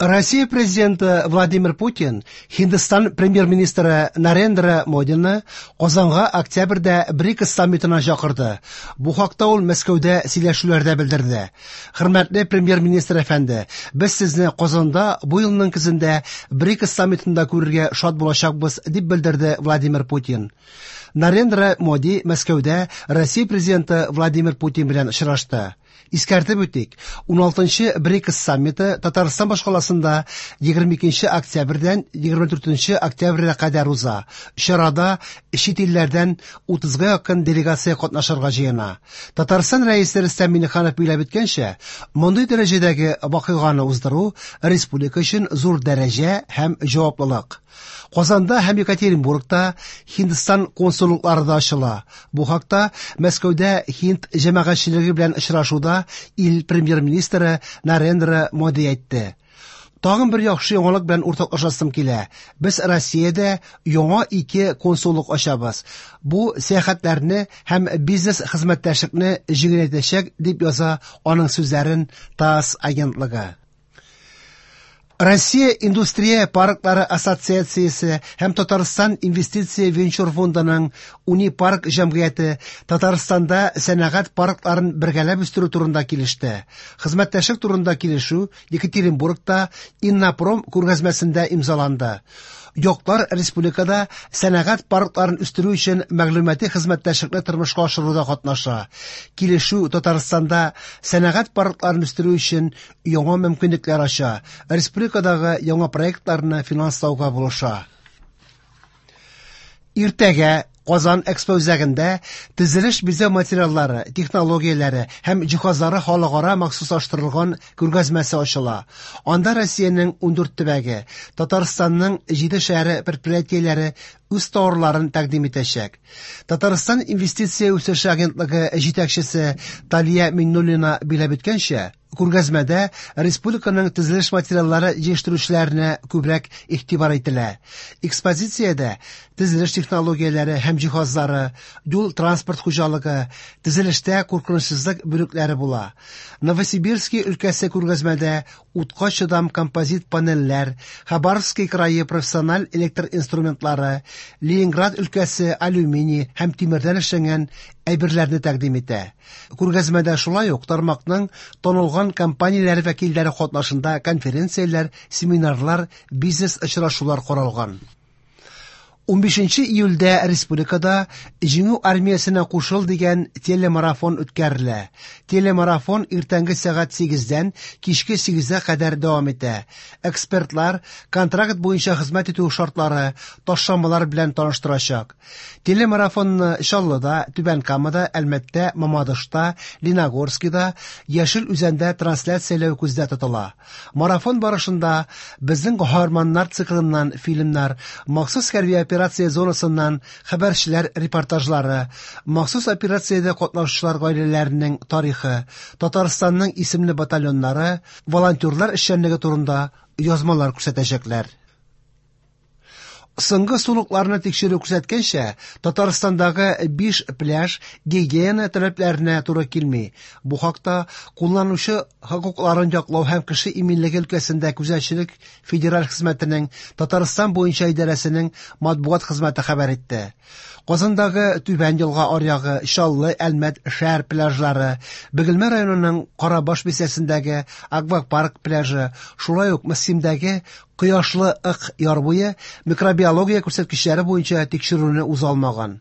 Россия президенты Владимир Путин Һиндстан премьер-министры Нарендра Модины Казанга октябрьдә БРИКС саммитына чакырды. Бу хакта ул Мәскәүдә сөйләшүләрдә белдерде. Хөрмәтле премьер-министр әфәнде, без сезне Казанда бу елның көзендә БРИКС саммитында күрергә шат булачакбыз, дип белдерде Владимир Путин. Нарендра Моди Мәскәүдә Россия президенты Владимир Путин белән очрашты. Искәртеп үтик, 16-нчы БРИКС саммиты Татарстан башкаласында 22 октябрьдән 24 октябрьгә кадәр уза. Чарада чит илләрдән 30-га якын делегация катнашырга җыена. Татарстан рәисе Рөстәм Миңнеханов билгеләп үткәнчә, мондый дәрәҗәдәге вакыйганы уздыру республика өчен зур дәрәҗә һәм җаваплылык. Казанда һәм Екатеринбургта Һиндстан консуллыклары да ачыла. Бу хакта Мәскәүдә һинд җәмәгатьчелеге белән очрашуда ил премьер-министры Нарендра Моди әйтте. Тагын бер яхшы яңалык белән уртаклашасым килә. Без Россиядә яңа ике консуллык ачабыз. Бу сәяхәтләрне һәм бизнес хезмәттәшлекне җиңеләйтәчәк, дип яза аның сүзләрен ТАСС агентлыгы. Россия индустрия парклары ассоциациясе һәм Татарстан инвестиция венчур фондының Унипарк җәмгыяте Татарстанда сәнәгать паркларын бергәләп үстерү турында килеште. Хезмәттәшлек турында килешү Екатеринбургта Иннопром күргәзмәсендә имзаланды. Яклар республикада сәнәгать паркларын үстерү өчен мәгълүмати хезмәттәшлекне тормышка ашыруда катнаша. Килешү Татарстанда сәнәгать паркларын үстерү өчен яңа мөмкинлекләр ача, республикадагы яңа проектларны финанслауга булыша. Иртәгә Казан Экспо үзәгендә төзелеш бизәү материаллары, технологияләре һәм җиһазлары халыкара махсуслаштырылган күргәзмәсе ачыла. Анда Россиянең 14 төбәге, Татарстанның 7 шәһәре предприятиеләре үз товарларын тәкъдим итәчәк. Татарстан инвестиция үсеше агентлыгы җитәкчесе Талия Миңнуллина билгеләп үткәнчә, күргәзмәдә республиканың төзелеш материаллары җитештерүчеләренә күбрәк игътибар ителә. Экспозициядә төзелеш технологияләре һәм җиһазлары, юл-транспорт хуҗалыгы, төзелештә куркынычсызлык бүлекләре була. Новосибирский өлкәсе күргәзмәдә утка чыдам композит панельләр, Хабаровский крае профессиональ электр инструментлары, Ленинград өлкәсе алюминий һәм тимердән эшләнгән әйберләрне тәкъдим итә. Күргәзмәдә шулай ук тармакның танылган компанияләре вәкилләре катнашында конференцияләр, семинарлар, бизнес очрашулар каралган. 15 июльдә республикада Җиңү армиясенә кушыл дигән телемарафон үткәрелә. Телемарафон иртәнге сәгать 8-дән кичке 8-гә кадәр дәвам итә. Экспертлар контракт буенча хезмәт итү шартлары, ташламалар белән таныштырачак. Телемарафонны Чаллыда, Түбән Камада, Әлмәттә, Мамадышта, Леногорскида, Яшел Үзәндә трансляцияләү күздә тотыла. Марафон барышында безнең каһарманнар циклыннан фильмнар, махсус хәрби операция зонасыннан хәбәрчеләр репортажлары, махсус операциядә катнашучылар гаиләләренең тарихы, Татарстанның исемле батальоннары, волонтерлар эшчәнлеге турында язмалар күрсәтәчәкләр. Соңгы сулыкларны тикшерү күрсәткәнчә, Татарстандагы 5 пляж гигиена таләпләренә туры килми. Бу хакта кулланучы хокукларын яклау һәм кеше иминлеге өлкәсендә күзәтчелек федераль хезмәтенең Татарстан буенча идарәсенең матбугат хезмәте хәбәр итте. Казандагы Түбән елга аръягы, Чаллы, Әлмәт шәһәр пляжлары, Бөгелмә районының Карабаш бистәсендәге Аквапарк пляжы, шулай ук Мөслимдәге Кояшлы Ык яр буе микробиология күрсәткечләре буенча тикшерүне уза алмаган.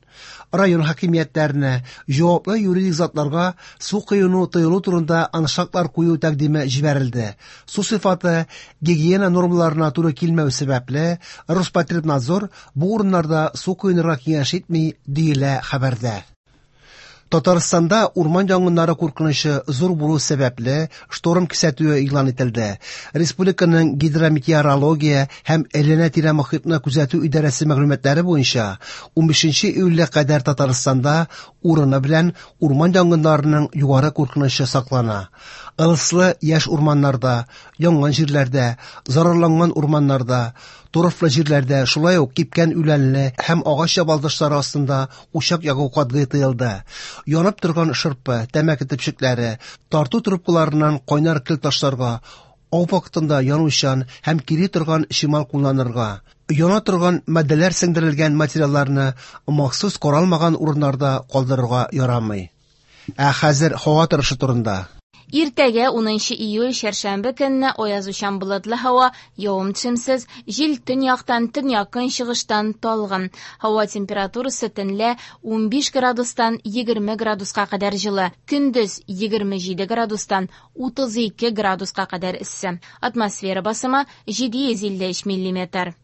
Район хакимиятләренә, җаваплы юридик затларга су коену тыелу турында аншлаглар кую тәкъдиме җибәрелде. Су сыйфаты гигиена нормаларына туры килмәү сәбәпле, Роспотребнадзор бу урыннарда су коенырга киңәш итми, диелә хәбәрдә. Татарстанда урман янгыннары куркынычы зур булу сәбәпле, шторм кисәтүе игълан ителде. Республиканың гидрометеорология һәм әйләнә-тирә мохитны күзәтү идарәсе мәгълүматлары буенча 15 июльгә кадәр Татарстанда урыны белән урман янгыннарының югары куркынычы саклана. Ылыслы яшь урманнарда, янган җирләрдә, зарарланган урманнарда, торфлы җирләрдә, шулай ук кипкән үләнле һәм агач ябалдашлары астында учак ягу катгый тыелды. Янып торган шырпы, тәмәке төпчекләре, тарту трубкаларыннан кайнар көл ташларга, Ау вакытында янучан һәм кири торган чимал кулланырга, яна торган матдәләр сеңдерелгән материалларны махсус каралмаган урыннарда калдырырга ярамый. Ә хәзер һава торышы турында. Иртәгә, унынчы июль, чәршәмбе көнне аязучан болытлы һава, явым-төшемсез, җил төньяктан, төньяк-көнчыгыштан талгын. Һава температурасы төнлә 15 градустан 20 градуска кадәр җылы, көндез 27 градустан 32 градуска кадәр эссе. Атмосфера басымы 753 миллиметр.